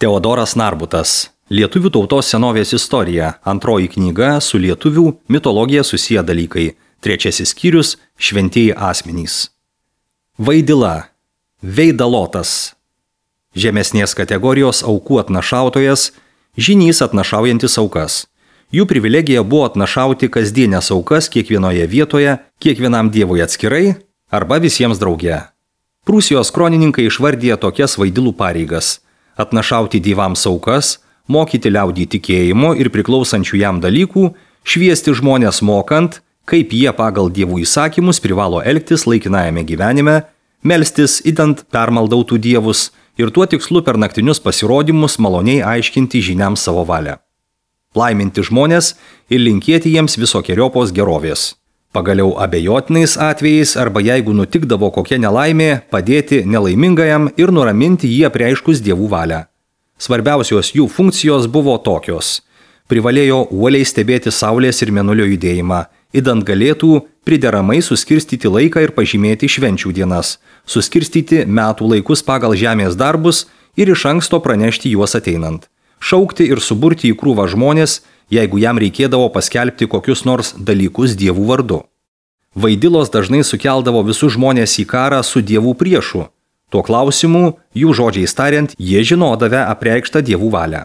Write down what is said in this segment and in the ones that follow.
Teodoras Narbutas. Lietuvių tautos senovės istorija. Antroji knyga su lietuvių mitologija susiję dalykai. Trečiasis skyrius – šventieji asmenys. Vaidila. Veidalotas. Žemesnės kategorijos aukų atnašautojas, žynys atnašaujantis aukas. Jų privilegija buvo atnašauti kasdienės aukas kiekvienoje vietoje, kiekvienam dievui atskirai arba visiems drauge. Prūsijos kronininkai išvardė tokias vaidilų pareigas – atnašauti dievams aukas, mokyti liaudį tikėjimo ir priklausančių jam dalykų, šviesti žmonės mokant, kaip jie pagal dievų įsakymus privalo elgtis laikinajame gyvenime, melstis idant permaldautų dievus ir tuo tikslu per naktinius pasirodymus maloniai aiškinti žiniams savo valią. Laiminti žmonės ir linkėti jiems visokieriopos gerovės. Pagaliau abejotinais atvejais arba jeigu nutikdavo kokia nelaimė, padėti nelaimingajam ir nuraminti jį apreiškus dievų valią. Svarbiausios jų funkcijos buvo tokios. Privalėjo uoliai stebėti saulės ir mėnulio judėjimą, idant galėtų prideramai suskirstyti laiką ir pažymėti švenčių dienas, suskirstyti metų laikus pagal žemės darbus ir iš anksto pranešti juos ateinant, šaukti ir suburti į krūvą žmonės, jeigu jam reikėdavo paskelbti kokius nors dalykus dievų vardu. Vaidilos dažnai sukeldavo visus žmonės į karą su dievų priešu. Tuo klausimu, jų žodžiais tariant, jie žinodavę apreikštą dievų valią.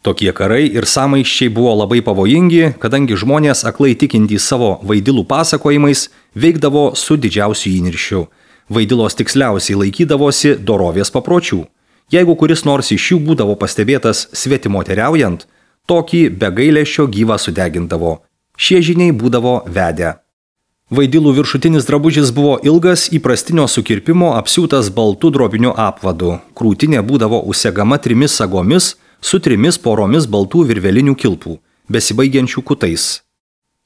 Tokie karai ir sąmaiščiai buvo labai pavojingi, kadangi žmonės aklai tikintys savo vaidilų pasakojimais veikdavo su didžiausiu įniršiu. Vaidilos tiksliausiai laikydavosi dorovės papročių. Jeigu kuris nors iš jų būdavo pastebėtas svetimoteriaujant, tokį be gailesčio gyvą sudegindavo. Šie žiniai būdavo vedę. Vaidilų viršutinis drabužis buvo ilgas, įprastinio sukirpimo apsiūtas baltų drobiniu apvadu. Krūtinė būdavo užsegama 3 sagomis su 3 poromis baltų virvelinių kilpų, besibaigiančių kutais.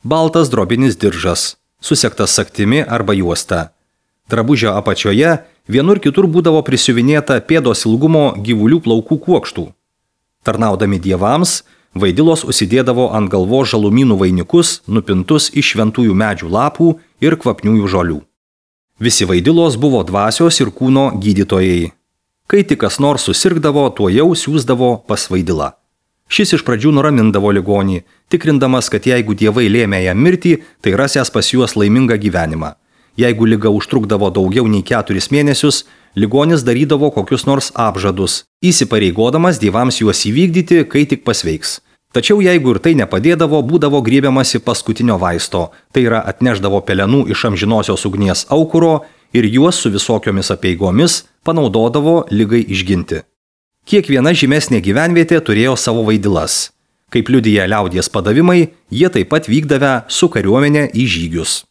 Baltas drobinis diržas, susegtas sagtimi arba juosta. Drabužio apačioje vienur kitur būdavo prisiuvinėta pėdos ilgumo gyvulių plaukų kuokštų. Tarnaudami dievams, vaidilos užsidėdavo ant galvos žalumynų vainikus, nupintus iš šventųjų medžių lapų ir kvapniųjų žolių. Visi vaidilos buvo dvasios ir kūno gydytojai. Kai tik kas nors susirgdavo, tuojau siųsdavo pas vaidilą. Šis iš pradžių nuramindavo ligonį, tikrindamas, kad jeigu dievai lėmė jam mirtį, tai rasęs pas juos laimingą gyvenimą. Jeigu liga užtrukdavo daugiau nei 4 mėnesius, ligonis darydavo kokius nors apžadus, įsipareigodamas dievams juos įvykdyti, kai tik pasveiks. Tačiau jeigu ir tai nepadėdavo, būdavo griebiamasi paskutinio vaisto, tai yra atnešdavo pelenų iš amžinosios ugnies aukuro ir juos su visokiomis apeigomis panaudodavo ligai išginti. Kiekviena žymesnė gyvenvietė turėjo savo vaidilas. Kaip liudija liaudies padavimai, jie taip pat vykdavę su kariuomenė į žygius.